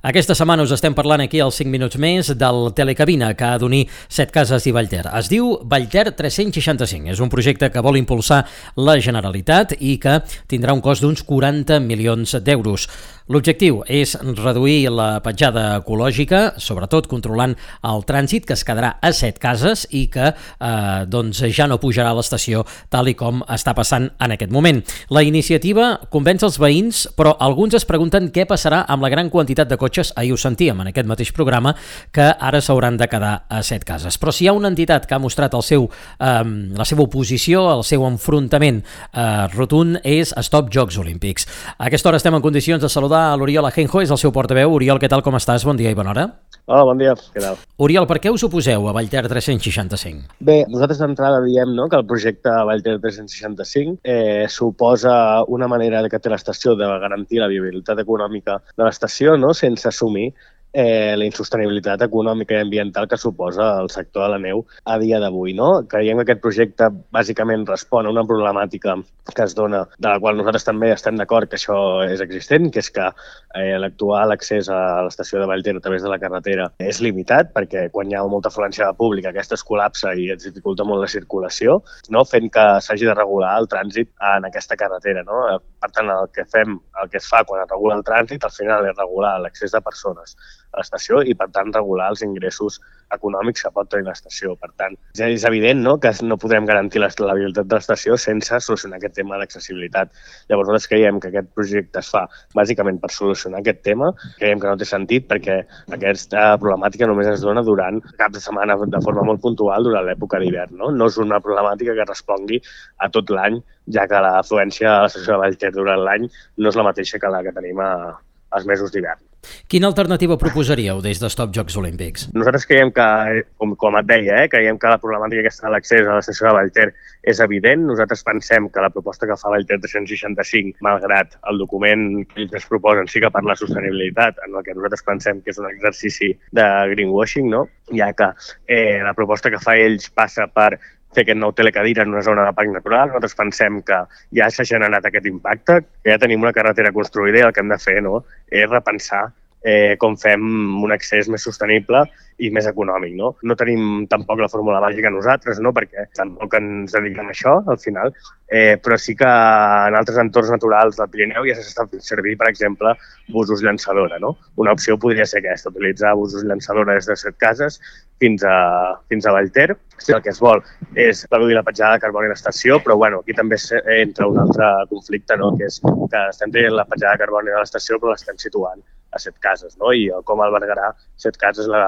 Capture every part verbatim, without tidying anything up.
Aquesta setmana us estem parlant aquí als cinc minuts més del Telecabina, que ha d'unir Setcases i Vallter. Es diu Vallter tres-cents seixanta-cinc. És un projecte que vol impulsar la Generalitat i que tindrà un cost d'uns quaranta milions d'euros. L'objectiu és reduir la petjada ecològica, sobretot controlant el trànsit, que es quedarà a Setcases i que eh, doncs ja no pujarà a l'estació tal i com està passant en aquest moment. La iniciativa convenç els veïns, però alguns es pregunten què passarà amb la gran quantitat de cotxes, ahir ho sentíem en aquest mateix programa, que ara s'hauran de quedar a Setcases. Però si hi ha una entitat que ha mostrat el seu, eh, la seva oposició, el seu enfrontament eh, rotund, és Stop Jocs Olímpics. A aquesta hora estem en condicions de saludar a l'Oriol Ajenjo, és el seu portaveu. Oriol, què tal, com estàs? Bon dia i bona hora. Hola, bon dia, què tal? Oriol, per què us oposeu a Vallter tres-cents seixanta-cinc? Bé, nosaltres d'entrada diem no, que el projecte Vallter tres-cents seixanta-cinc eh, suposa una manera que té l'estació de garantir la viabilitat econòmica de l'estació, no, sense assumir eh, la insostenibilitat econòmica i ambiental que suposa el sector de la neu a dia d'avui. No? Creiem que aquest projecte bàsicament respon a una problemàtica que es dona, de la qual nosaltres també estem d'acord que això és existent, que és que eh, l'actual accés a l'estació de Vallter a través de la carretera és limitat, perquè quan hi ha molta afluència pública aquesta es col·lapsa i es dificulta molt la circulació, no? Fent que s'hagi de regular el trànsit en aquesta carretera. No? Per tant, el que fem, el que es fa quan es regula el trànsit, al final és regular l'accés de persones a l'estació i, per tant, regular els ingressos econòmics que pot tenir l'estació. Per tant, és evident no? que no podrem garantir la viabilitat de l'estació sense solucionar aquest tema d'accessibilitat. Llavors, nosaltres creiem que aquest projecte es fa bàsicament per solucionar aquest tema. Creiem que no té sentit perquè aquesta problemàtica només es dona durant caps de setmana de forma molt puntual durant l'època d'hivern. No? no és una problemàtica que respongui a tot l'any, ja que l'afluència a l'estació de Vallter durant l'any no és la mateixa que la que tenim a, als mesos d'hivern. Quina alternativa proposaríeu des de Stop Jocs Olímpics? Nosaltres creiem que, com, com et deia, eh, creiem que la problemàtica aquesta de l'accés a l'estació de Vallter és evident. Nosaltres pensem que la proposta que fa Vallter tres-cents seixanta-cinc, malgrat el document que ells ens proposen, sí que parla de sostenibilitat, en el que nosaltres pensem que és un exercici de greenwashing, no? Ja que eh, la proposta que fa ells passa per fer aquest nou telecadira en una zona de parc natural. Nosaltres pensem que ja s'ha generat aquest impacte, que ja tenim una carretera construïda i el que hem de fer no, és repensar eh, com fem un accés més sostenible i més econòmic. No? no tenim tampoc la fórmula màgica nosaltres, no? perquè tampoc ens dediquem a això, al final, eh, però sí que en altres entorns naturals del Pirineu ja s'està fent servir, per exemple, busos llançadora. No? Una opció podria ser aquesta, utilitzar busos llançadora des de Setcases fins a, fins a Vallter. Si el que es vol és reduir la petjada de carboni a l'estació, però bueno, aquí també entra un altre conflicte, no? que és que estem traient la petjada de carboni de l'estació però l'estem situant a Setcases, no? i com albergarà Setcases la,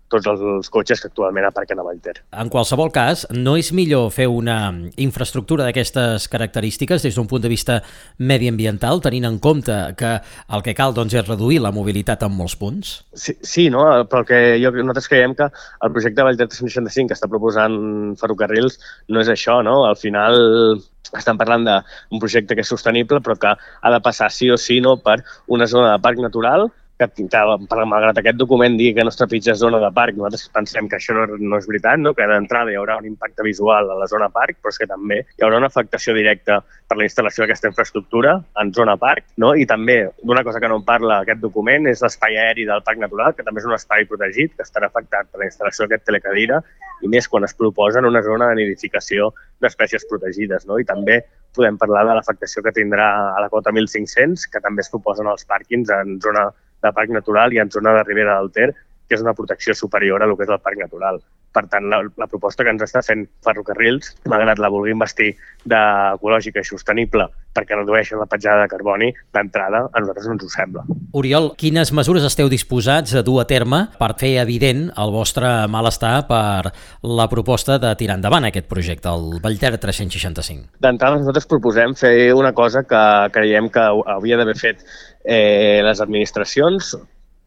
tots els cotxes que actualment aparquen a Vallter. En qualsevol cas, no és millor fer una infraestructura d'aquestes característiques des d'un punt de vista mediambiental, tenint en compte que el que cal doncs, és reduir la mobilitat en molts punts? Sí, sí no? però el que jo, nosaltres creiem que el projecte Vallter tres-cents seixanta-cinc que està proposant ferrocarrils no és això, no? Al final estan parlant d'un projecte que és sostenible però que ha de passar sí o sí no, per una zona de parc natural que, que malgrat aquest document digui que no es trepitja zona de parc, nosaltres pensem que això no, no és veritat, no? que d'entrada hi haurà un impacte visual a la zona parc, però és que també hi haurà una afectació directa per la instal·lació d'aquesta infraestructura en zona parc, no? i també d'una cosa que no en parla aquest document és l'espai aeri del parc natural, que també és un espai protegit, que estarà afectat per la instal·lació d'aquest telecadira, i més quan es proposa en una zona de nidificació d'espècies protegides. No? I també podem parlar de l'afectació que tindrà a la cota mil cinc-cents, que també es proposen als pàrquings en zona de parc natural i en zona de Ribera del Ter, que és una protecció superior a lo que és el parc natural. Per tant, la, la proposta que ens està fent Ferrocarrils, malgrat la vulguin vestir d'ecològica i sostenible perquè redueixen la petjada de carboni, d'entrada a nosaltres no ens ho sembla. Oriol, quines mesures esteu disposats a dur a terme per fer evident el vostre malestar per la proposta de tirar endavant aquest projecte, el Vallter tres-cents seixanta-cinc? D'entrada nosaltres proposem fer una cosa que creiem que hauria d'haver fet eh, les administracions,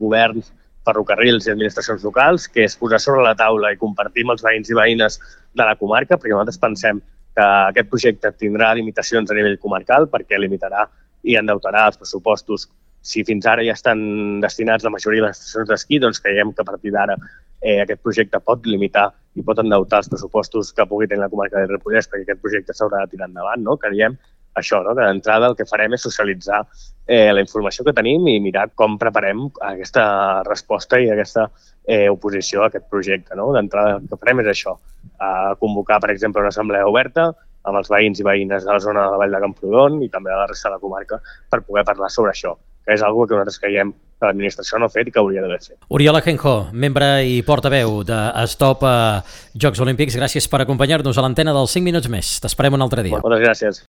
governs, ferrocarrils i administracions locals, que és posar sobre la taula i compartir amb els veïns i veïnes de la comarca, perquè nosaltres pensem que aquest projecte tindrà limitacions a nivell comarcal perquè limitarà i endeutarà els pressupostos. Si fins ara ja estan destinats la majoria de les estacions d'esquí, doncs creiem que a partir d'ara eh, aquest projecte pot limitar i pot endeutar els pressupostos que pugui tenir la comarca del Ripollès perquè aquest projecte s'haurà de tirar endavant. No? Creiem això, no? Que d'entrada el que farem és socialitzar eh, la informació que tenim i mirar com preparem aquesta resposta i aquesta eh, oposició a aquest projecte, no? D'entrada el que farem és això, eh, convocar, per exemple, una assemblea oberta amb els veïns i veïnes de la zona de la Vall de Camprodon i també de la resta de la comarca per poder parlar sobre això, que és una que nosaltres creiem que l'administració no ha fet i que hauria d'haver fet. Oriol Ajenjo, membre i portaveu de Stop a Jocs Olímpics, gràcies per acompanyar-nos a l'antena dels cinc minuts més. T'esperem un altre dia. Moltes gràcies.